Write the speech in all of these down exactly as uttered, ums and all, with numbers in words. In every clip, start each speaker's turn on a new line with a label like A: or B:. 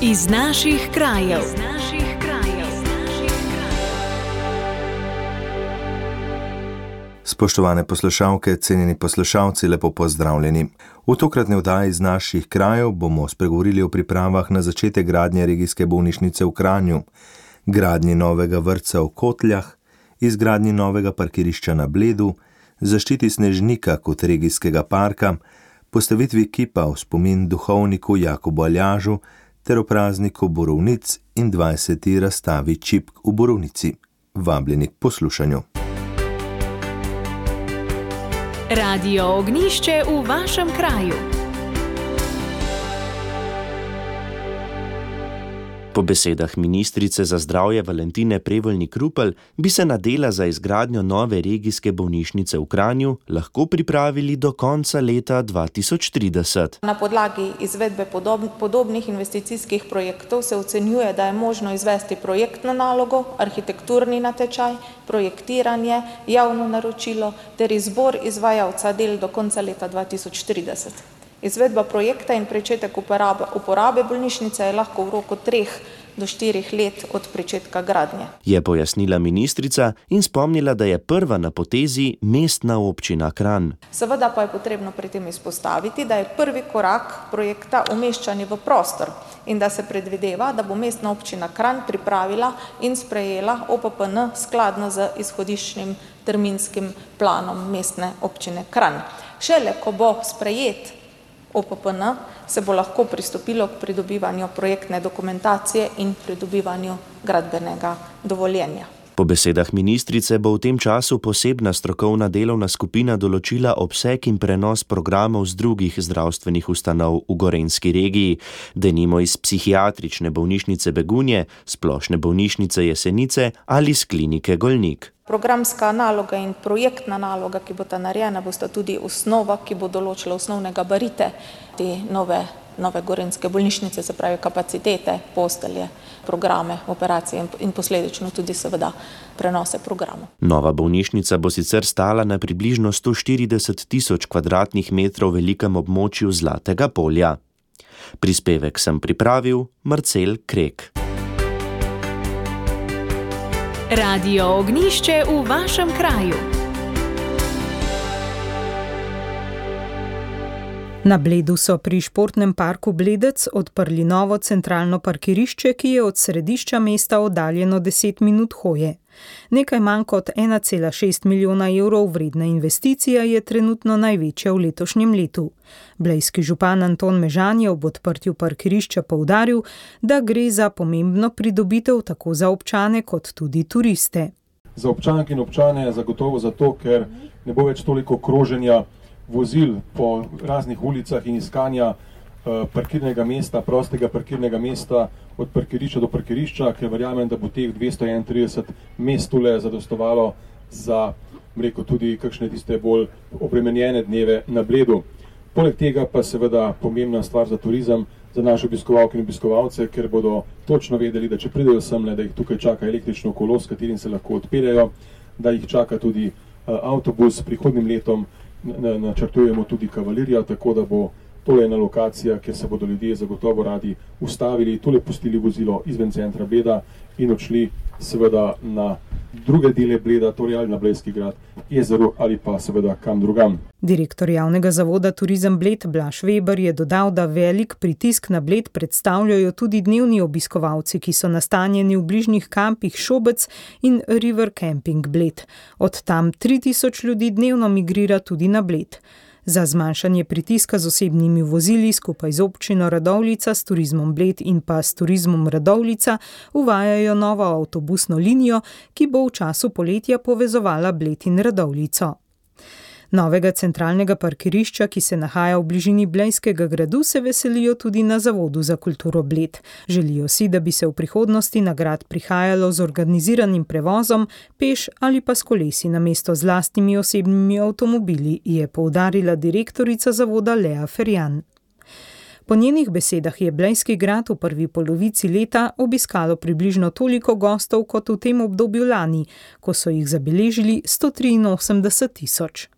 A: Iz naših krajev. Iz naših krajev.
B: Spoštovane poslušalke, cenjeni poslušalci, lepo pozdravljeni. V tokratni oddaji iz naših krajev bomo spregovorili o pripravah na začetek gradnje regijske bolnišnice v Kranju, gradnji novega vrtca v Kotljah, izgradnji novega parkirišča na Bledu, zaščiti Snežnika kot regijskega parka, postavitvi kipa v spomin duhovniku Jakobu Aljažu ter o prazniku borovnic in dvajseti razstavi čipk v Borovnici. Vabljeni k poslušanju.
A: Radio Ognjišče v vašem kraju.
C: Po besedah ministrice za zdravje Valentine Prevolnik-Rupel bi se na dela za izgradnjo nove regijske bolnišnice v Kranju lahko pripravili do konca leta dva tisoč trideset.
D: Na podlagi izvedbe podob, podobnih investicijskih projektov se ocenjuje, da je možno izvesti projektno nalogo, arhitekturni natečaj, projektiranje, javno naročilo ter izbor izvajalca del do konca leta dva tisoč trideset. Izvedba projekta in pričetek uporabe, uporabe bolnišnice je lahko v roku treh do štirih let od pričetka gradnje.
C: Je pojasnila ministrica in spomnila, da je prva na potezi mestna občina Kranj.
D: Seveda pa je potrebno pri tem izpostaviti, da je prvi korak projekta umeščanje v prostor in da se predvideva, da bo mestna občina Kranj pripravila in sprejela O P P N skladno z izhodiščnim terminskim planom mestne občine Kranj. Šele ko bo sprejet O P P N, se bo lahko pristopilo k pridobivanju projektne dokumentacije in pridobivanju gradbenega dovoljenja.
C: Po besedah ministrice bo v tem času posebna strokovna delovna skupina določila obseg in prenos programov z drugih zdravstvenih ustanov v gorenjski regiji, denimo iz psihiatrične bolnišnice Begunje, splošne bolnišnice Jesenice ali z klinike Golnik.
D: Programska naloga in projektna naloga, ki bo ta narejena, bosta tudi osnova, ki bo določila osnovne gabarite te nove, nove gorenjske bolnišnice, se pravi kapacitete, postelje, programe, operacije in posledično tudi seveda prenose programov.
C: Nova bolnišnica bo sicer stala na približno sto štirideset tisoč kvadratnih metrov velikem območju Zlatega polja. Prispevek sem pripravil Marcel Krek.
A: Radio Ognjišče v vašem kraju.
E: Na Bledu so pri športnem parku Bledec odprli novo centralno parkirišče, ki je od središča mesta oddaljeno deset minut hoje. Nekaj manj kot ena cela šest milijona evrov vredna investicija je trenutno največja v letošnjem letu. Blejski župan Anton Mežan je ob odprtju parkirišča poudaril, da gre za pomembno pridobitev tako za občane kot tudi turiste.
F: Za občanke in občane je zagotovo zato, ker ne bo več toliko kroženja vozil po raznih ulicah in iskanja uh, parkirnega mesta, prostega parkirnega mesta od parkirišča do parkirišča, ker verjamem, da bo teh dvesto enaintrideset mest tule zadostovalo za, rekel, tudi kakšne tiste bolj obremenjene dneve na Bledu. Poleg tega pa seveda pomembna stvar za turizem, za naše obiskovalke in obiskovalce, ker bodo točno vedeli, da če pridejo semle, da jih tukaj čaka električno kolo, s katerim se lahko odpeljejo, da jih čaka tudi uh, avtobus. Prihodnjim letom načrtujemo tudi kavalerijo, tako da bo tole ena lokacija, kjer se bodo ljudje zagotovo radi ustavili, tole pustili vozilo izven centra Bleda in odšli seveda na druge dele Bleda, torej ali na Blejski grad, jezero ali pa seveda kam drugam.
E: Direktor javnega zavoda Turizem Bled Blaž Veber je dodal, da velik pritisk na Bled predstavljajo tudi dnevni obiskovalci, ki so nastanjeni v bližnjih kampih Šobec in River Camping Bled. Od tam tri tisoč ljudi dnevno migrira tudi na Bled. Za zmanjšanje pritiska z osebnimi vozili skupaj z občino Radovljica, s Turizmom Bled in pa s Turizmom Radovljica uvajajo novo avtobusno linijo, ki bo v času poletja povezovala Bled in Radovljico. Novega centralnega parkirišča, ki se nahaja v bližini Blejskega gradu, se veselijo tudi na Zavodu za kulturo Bled. Želijo si, da bi se v prihodnosti na grad prihajalo z organiziranim prevozom, peš ali pa s kolesi namesto z lastnimi osebnimi avtomobili, je poudarila direktorica zavoda Lea Ferjan. Po njenih besedah je Blejski grad v prvi polovici leta obiskalo približno toliko gostov kot v tem obdobju lani, ko so jih zabeležili sto triinosemdeset tisoč.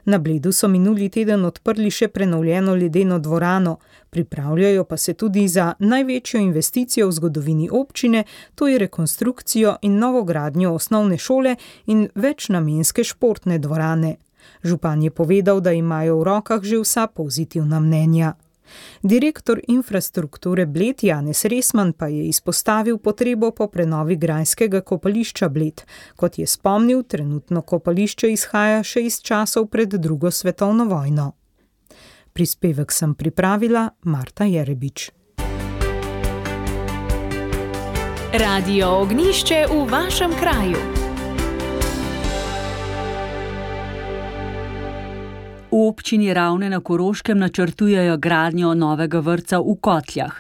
E: Na Bledu so minuli teden odprli še prenovljeno ledeno dvorano, pripravljajo pa se tudi za največjo investicijo v zgodovini občine, to je rekonstrukcijo in novogradnjo osnovne šole in večnamenske športne dvorane. Župan je povedal, da imajo v rokah že vsa pozitivna mnenja. Direktor infrastrukture Bled Janez Resman pa je izpostavil potrebo po prenovi grajskega kopališča Bled. Kot je spomnil, trenutno kopališče izhaja še iz časov pred drugo svetovno vojno. Prispevek sem pripravila Marta Jerebič.
A: Radio Ognjišče v vašem kraju.
G: V občini Ravne na Koroškem načrtujejo gradnjo novega vrtca v Kotljah.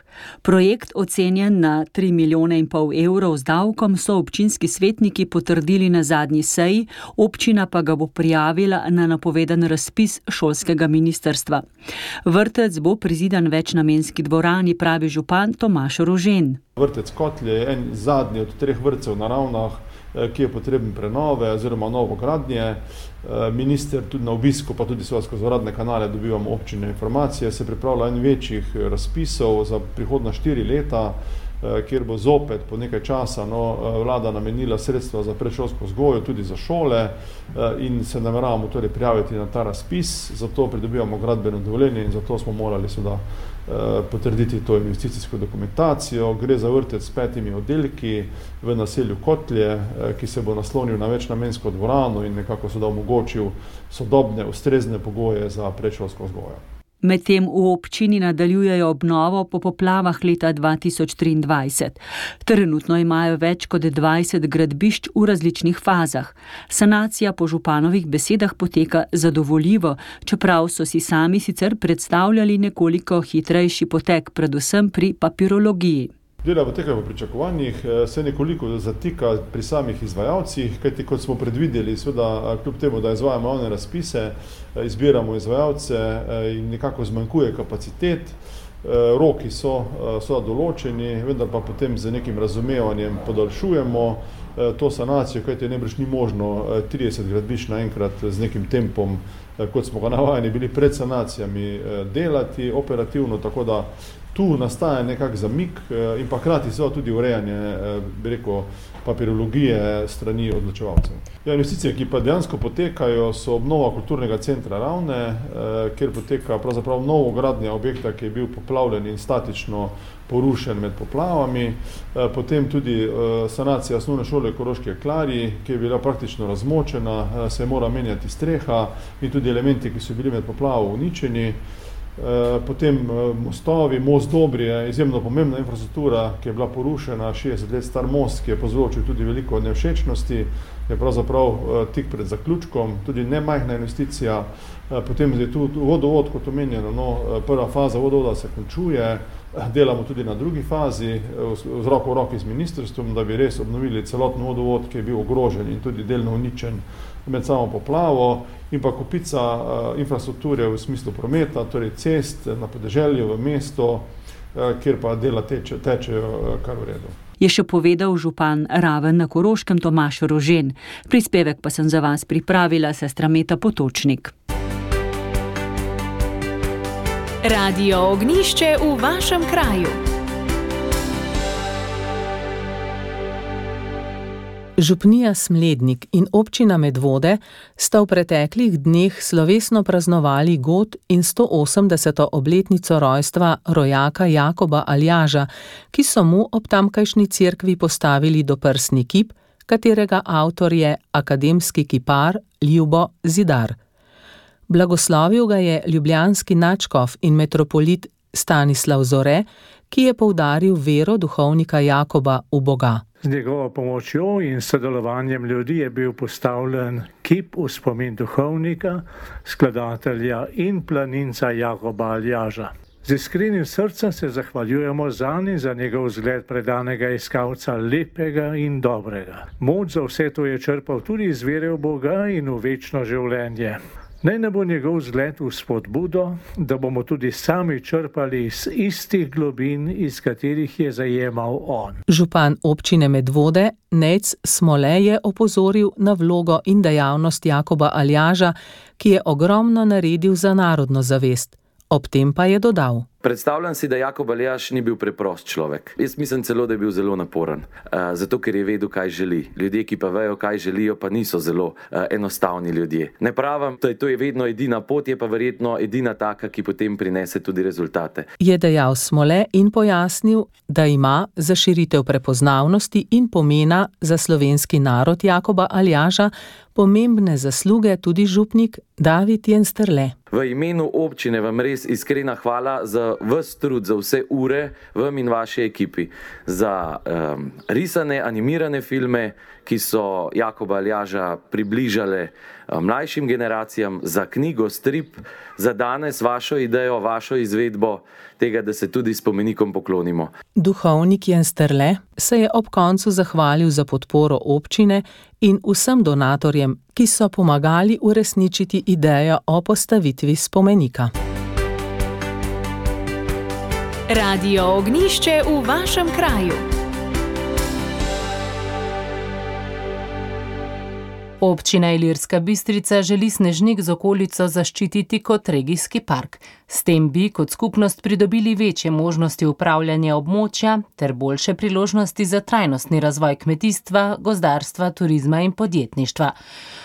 G: Projekt, ocenjen na tri milijone in pol evrov z davkom, so občinski svetniki potrdili na zadnji seji, občina pa ga bo prijavila na napovedan razpis šolskega ministrstva. Vrtec bo prizidan večnamenski dvorani, pravi župan Tomaž Rožen.
H: Vrtec Kotlje je en zadnji od treh vrtcev na Ravnah, ki je potreben prenove oziroma novogradnje. Minister tudi na obisku, pa tudi skozi uradne kanale dobivamo občine informacije, se pripravlja en večjih razpisov za prihodna štiri leta, kjer bo zopet po nekaj časa no, vlada namenila sredstva za predšolsko vzgojo, tudi za šole in se nameravamo torej prijaviti na ta razpis, zato pridobivamo gradbeno dovoljenje in zato smo morali seveda potrditi to investicijsko dokumentacijo. Gre za vrtec s petimi oddelki v naselju Kotlje, ki se bo naslonil na večnamensko dvorano in nekako seveda omogočil sodobne, ustrezne pogoje za predšolsko vzgojo.
G: Medtem v občini nadaljujejo obnovo po poplavah leta dva tisoč triindvajset. Trenutno imajo več kot dvajset gradbišč v različnih fazah. Sanacija po županovih besedah poteka zadovoljivo, čeprav so si sami sicer predstavljali nekoliko hitrejši potek, predvsem pri papirologiji.
H: Dela potekajo po pričakovanjih, se nekoliko zatika pri samih izvajalcih, kajti kot smo predvideli, seveda kljub temu, da izvajamo javne razpise, izbiramo izvajalce in nekako zmanjkuje kapacitet, roki so, so določeni, vendar pa potem z nekim razumevanjem podaljšujemo to sanacijo, kajti najbrž ni možno trideset gradbišč naenkrat z nekim tempom, kot smo ga navajeni bili pred sanacijami, delati operativno, tako da tu nastaja nekak zamik in pa hkrati seveda tudi urejanje, bi rekel, papirologije strani odločevalcev. Ja, investicije, ki pa dejansko potekajo, so obnova kulturnega centra Ravne, kjer poteka pravzaprav novogradnja objekta, ki je bil poplavljen in statično porušen med poplavami, potem tudi sanacija osnovne šole Koroški Klarji, ki je bila praktično razmočena, se mora menjati streha in tudi elementi, ki so bili med poplavo uničeni. Potem mostovi, most Dobri je izjemno pomembna infrastruktura, ki je bila porušena, šestdeset let star most, ki je povzročil tudi veliko nevšečnosti, je pravzaprav tik pred zaključkom, tudi nemajhna investicija. Potem je tu vodovod, kot omenjeno, no, prva faza vodovoda se končuje, delamo tudi na drugi fazi, z roko v roki z ministrstvom, da bi res obnovili celoten vodovod, ki je bil ogrožen in tudi delno uničen med samo poplavo, in pa kupica infrastrukture v smislu prometa, torej cest na podeželju, v mesto, kjer pa dela teče, tečejo kar v redu.
G: Je še povedal župan Raven na Koroškem Tomaž Rožen. Prispevek pa sem za vas pripravila sestra Meta Potočnik.
A: Radio Ognjišče v vašem kraju.
I: Župnija Smlednik in občina Medvode sta v preteklih dneh slovesno praznovali god in sto osemdeseto obletnico rojstva rojaka Jakoba Aljaža, ki so mu ob tamkajšnji cerkvi postavili doprsni kip, katerega avtor je akademski kipar Ljubo Zidar. Blagoslovil ga je ljubljanski nadškof in metropolit Stanislav Zore, ki je poudaril vero duhovnika Jakoba v Boga.
J: Z njegovo pomočjo in sodelovanjem ljudi je bil postavljen kip v spomin duhovnika, skladatelja in planinca Jakoba Aljaža. Z iskrenim srcem se zahvaljujemo zanj in za njegov zgled predanega iskalca lepega in dobrega. Moč za vse to je črpal tudi iz vere v Boga in v večno življenje. Naj ne bo njegov zgled v spodbudo, da bomo tudi sami črpali iz istih globin, iz katerih je zajemal on.
I: Župan občine Medvode Nejc Smole je opozoril na vlogo in dejavnost Jakoba Aljaža, ki je ogromno naredil za narodno zavest. Ob tem pa je dodal:
K: Predstavljam si, da Jakob Aljaž ni bil preprost človek. Jaz mislim celo, da je bil zelo naporen, uh, zato ker je vedel, kaj želi. Ljudje, ki pa vejo, kaj želijo, pa niso zelo uh, enostavni ljudje. Ne pravim, da je to je vedno edina pot, je pa verjetno edina taka, ki potem prinese tudi rezultate.
I: Je dejal Smole in pojasnil, da ima za širitev prepoznavnosti in pomena za slovenski narod Jakoba Aljaža pomembne zasluge tudi župnik David Jensterle.
K: V imenu občine vam res iskrena hvala za ves trud, za vse ure, vam in vaši ekipi, za um, risane, animirane filme, ki so Jakoba Aljaža približale um, mlajšim generacijam, za knjigo, strip, za danes vašo idejo, vašo izvedbo tega, da se tudi spomenikom poklonimo.
I: Duhovnik Jensterle se je ob koncu zahvalil za podporo občine in vsem donatorjem, ki so pomagali uresničiti idejo o postavitvi spomenika.
A: Radio Ognjišče v vašem kraju.
L: Občina Ilirska Bistrica želi Snežnik z okolico zaščititi kot regijski park. S tem bi kot skupnost pridobili večje možnosti upravljanja območja ter boljše priložnosti za trajnostni razvoj kmetijstva, gozdarstva, turizma in podjetništva.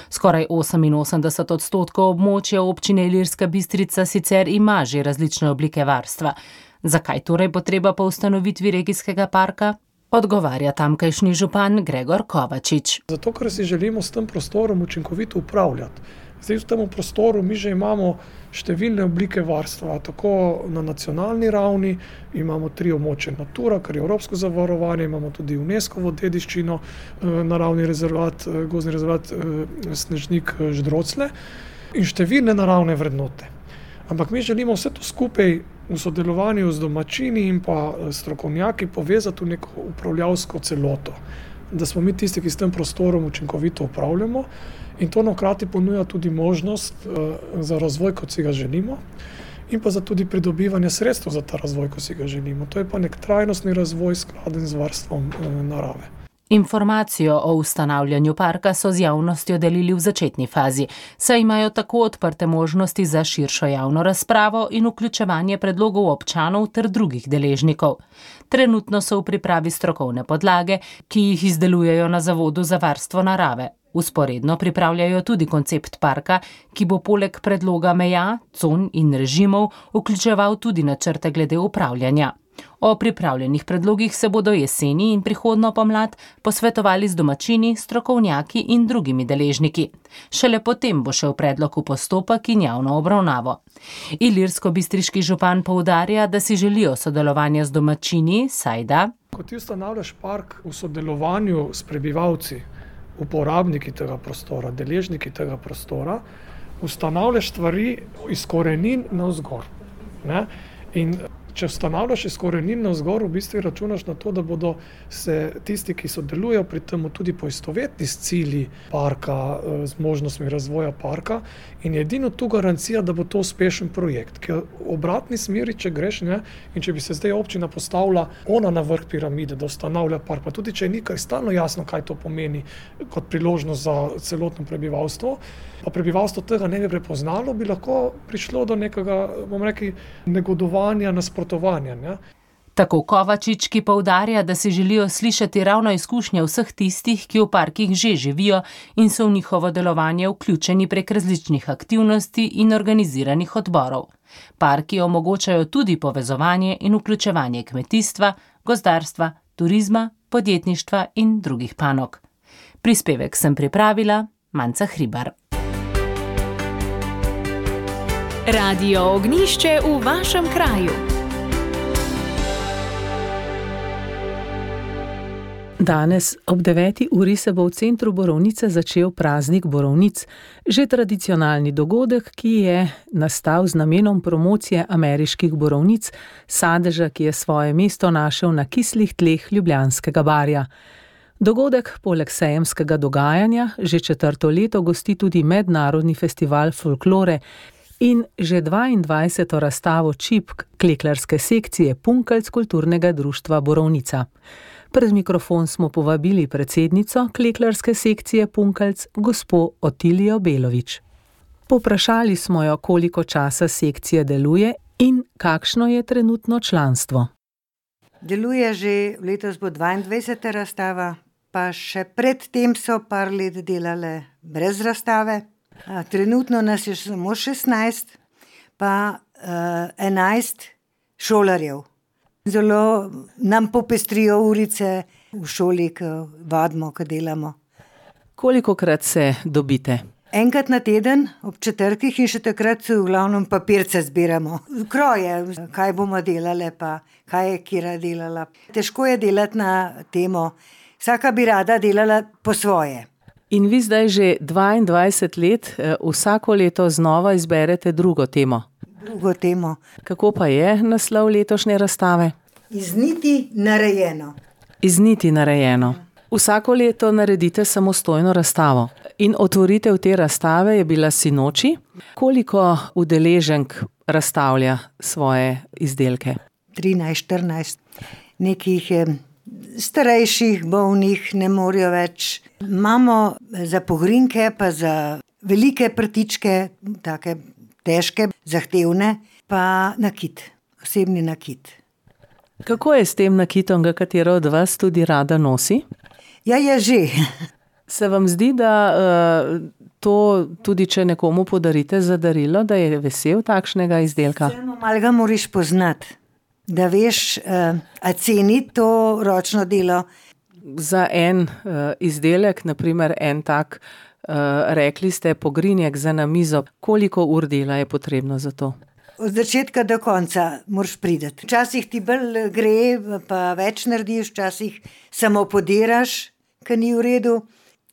L: Skoraj oseminosemdeset odstotkov območja občine Ilirska Bistrica sicer ima že različne oblike varstva. Zakaj torej potreba po ustanovitvi regijskega parka? Odgovarja tamkajšnji župan Gregor Kovačič.
M: Zato, ker si želimo s tem prostorom učinkovito upravljati. Zdaj v tem prostoru mi že imamo številne oblike varstva, tako na nacionalni ravni, imamo tri območja Natura, kar je evropsko zavarovanje, imamo tudi UNESCO-vo dediščino, naravni rezervat, gozdni rezervat Snežnik Ždrocle in številne naravne vrednote. Ampak mi želimo vse to skupaj v sodelovanju z domačini in pa strokovnjaki povezati v neko upravljavsko celoto. Da smo mi tisti, ki s tem prostorom učinkovito upravljamo in to nakrati ponuja tudi možnost za razvoj, kot si ga želimo in pa za tudi pridobivanje sredstev za ta razvoj, kot si ga želimo. To je pa nek trajnostni razvoj skladen z varstvom narave.
L: Informacijo o ustanavljanju parka so z javnostjo delili v začetni fazi, saj imajo tako odprte možnosti za širšo javno razpravo in vključevanje predlogov občanov ter drugih deležnikov. Trenutno so v pripravi strokovne podlage, ki jih izdelujejo na Zavodu za varstvo narave. Vzporedno pripravljajo tudi koncept parka, ki bo poleg predloga meja, con in režimov vključeval tudi načrte glede upravljanja. O pripravljenih predlogih se bodo jeseni in prihodnjo pomlad posvetovali z domačini, strokovnjaki in drugimi deležniki. Šele potem bo šel predlog v postopek in javno obravnavo. Ilirsko-bistriški župan poudarja, da si želijo sodelovanja z domačini, saj da:
M: Ko ti ustanavljaš park v sodelovanju s prebivalci, uporabniki tega prostora, deležniki tega prostora, ustanavljaš stvari iz korenin navzgor. Ne? In če ustanavljaš iz korenin navzgor, v bistvu računaš na to, da bodo se tisti, ki sodelujejo pri tem, tudi poistovetni s cilji parka, z možnostmi razvoja parka in edino tu garancija, da bo to uspešen projekt. Ker v obratni smeri, če greš, ne, in če bi se zdaj občina postavila ona na vrh piramide, da ustanavlja park, pa tudi če je nekaj stalno jasno, kaj to pomeni kot priložnost za celotno prebivalstvo, pa prebivalstvo tega ne bi prepoznalo, bi lahko prišlo do nekega, bom rekel, negodovanja, nasprotovanja. Ne?
L: Tako Kovačič, ki poudarja, da si želijo slišati ravno izkušnje vseh tistih, ki v parkih že živijo in so v njihovo delovanje vključeni prek različnih aktivnosti in organiziranih odborov. Parki omogočajo tudi povezovanje in vključevanje kmetijstva, gozdarstva, turizma, podjetništva in drugih panog. Prispevek sem pripravila Manca Hribar.
A: Radio Ognjišče v vašem kraju.
I: Danes ob deveti uri se bo v centru Borovnice začel praznik Borovnic, že tradicionalni dogodek, ki je nastal z namenom promocije ameriških borovnic, sadeža, ki je svoje mesto našel na kislih tleh Ljubljanskega barja. Dogodek poleg sejemskega dogajanja že četrto leto gosti tudi mednarodni festival folklore in že dvaindvajseto razstavo čipk kleklarske sekcije Punkelc kulturnega društva Borovnica. Pred mikrofon smo povabili predsednico kleklarske sekcije Punkelc, gospo Otilijo Belovič. Povprašali smo jo, koliko časa sekcija deluje in kakšno je trenutno članstvo.
N: Deluje že, letos bo dvaindvajseta razstava, pa še pred tem so par let delale brez razstave. A, trenutno nas je samo šestnajst, pa uh, enajst šolarjev. Zelo nam popestrijo urice v šoli, ko vadimo, ko delamo.
I: Kolikokrat se dobite?
N: Enkrat na teden, ob četrtkih, in še takrat v glavnem papirce zbiramo. Kroje, kaj bomo delale, pa kaj je Kira delala. Težko je delati na temo. Vsaka bi rada delala po svoje.
I: In vi zdaj že dvaindvajset let vsako leto znova izberete drugo temo.
N: Drugo temo.
I: Kako pa je naslov letošnje razstave?
N: Iz niti narejeno.
I: Iz niti narejeno. Vsako leto naredite samostojno razstavo. In otvoritev te razstave je bila sinoči. Koliko udeleženk razstavlja svoje izdelke?
N: trinajst, štirinajst. Nekih starejših, bolnih, ne morejo več. Imamo za pogrinke, pa za velike prtičke, take težke, zahtevne, pa nakit, osebni nakit.
I: Kako je s tem nakitom, ga katero od vas tudi rada nosi?
N: Ja, je že.
I: Se vam zdi, da uh, to tudi, če nekomu podarite za darilo, da je vesel takšnega izdelka?
N: Vseeno malo ga moraš poznati, da veš, uh, a ceni to ročno delo.
I: Za en uh, izdelek, naprimer en tak, uh, rekli ste, pogrinjek za na mizo, koliko ur dela je potrebno za to?
N: Od začetka do konca moraš priti. Včasih ti bolj gre, pa več narediš, včasih samo podiraš, ki ni v redu.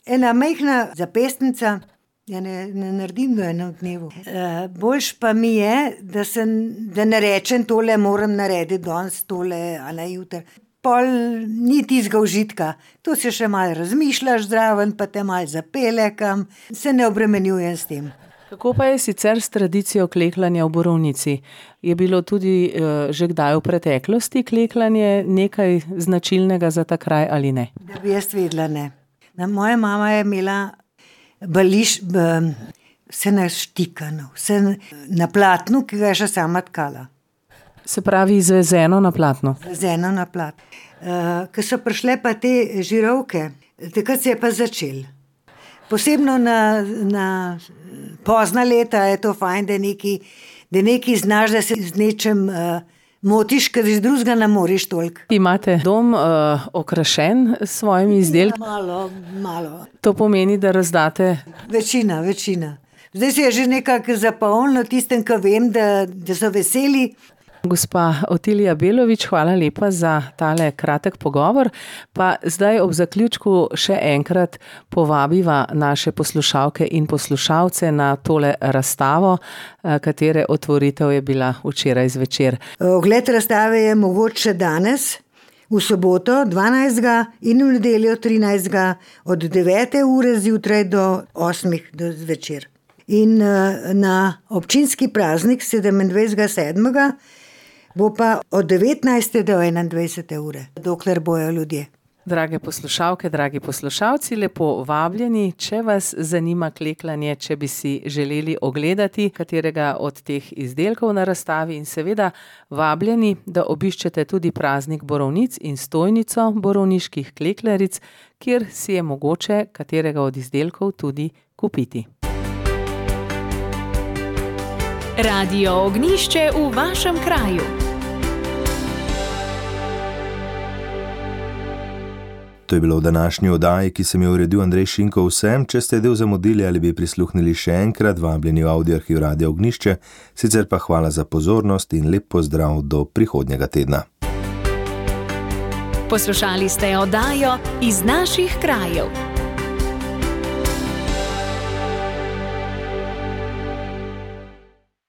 N: Ena majhna zapestnica, ja ne, ne naredim do enem dnevu. E, boljš pa mi je, da, sem, da ne rečem tole, moram narediti danes tole, a ne jutri. Pol ni tistega užitka. Tu se še malo razmišljaš zraven, pa te malo zapele kam. Se ne obremenjujem s tem.
I: Kako pa je sicer s tradicijo kleklanja v Borovnici? Je bilo tudi uh, že kdaj v preteklosti kleklanje nekaj značilnega za ta kraj ali ne?
N: Da bi jaz vedela, ne. Na, moja mama je imela bališ, b, vse naštikano, vse na platnu, ki ga je še sama tkala.
I: Se pravi izvezeno na platnu?
N: Izvezeno na platnu. Uh, ko so prišle pa te žirovke, takrat se je pa začel. Posebno na, na pozna leta je to fajn, da neki, da neki znaš, da se z nečem uh, motiš, ker iz drugega ne moreš toliko.
I: Imate dom uh, okrašen s svojimi izdelki?
N: Ja, malo, malo.
I: To pomeni, da razdate?
N: Večina, večina. Zdaj se je že nekako zapolnilo tistem, ki vem, da, da so veseli.
I: Gospa Otilija Belovič, hvala lepa za tale kratek pogovor. Pa zdaj ob zaključku še enkrat povabiva naše poslušalke in poslušalce na tole razstavo, katere otvoritev je bila včeraj zvečer.
N: Ogled razstave je mogoče danes, v soboto dvanajstega in v nedeljo trinajstega od devete ure zjutraj do osmih do zvečer. In na občinski praznik sedemindvajsetega sedmega bo pa od devetnajste do enaindvajsete ure, dokler bojo ljudje.
I: Drage poslušalke, dragi poslušalci, lepo vabljeni, če vas zanima kleklanje, če bi si želeli ogledati katerega od teh izdelkov na razstavi in seveda vabljeni, da obiščete tudi praznik Borovnic in stojnico borovniških kleklaric, kjer si je mogoče katerega od izdelkov tudi kupiti.
A: Radio Ognjišče v vašem kraju.
B: To je bilo v današnji oddaji, ki sem jo uredil Andrej Šinko. Vsem, če ste del zamudili ali bi prisluhnili še enkrat, vabljeni v Audioarhiv Radio Ognjišče, sicer pa hvala za pozornost in lep pozdrav do prihodnjega tedna.
A: Poslušali ste oddajo Iz naših krajev.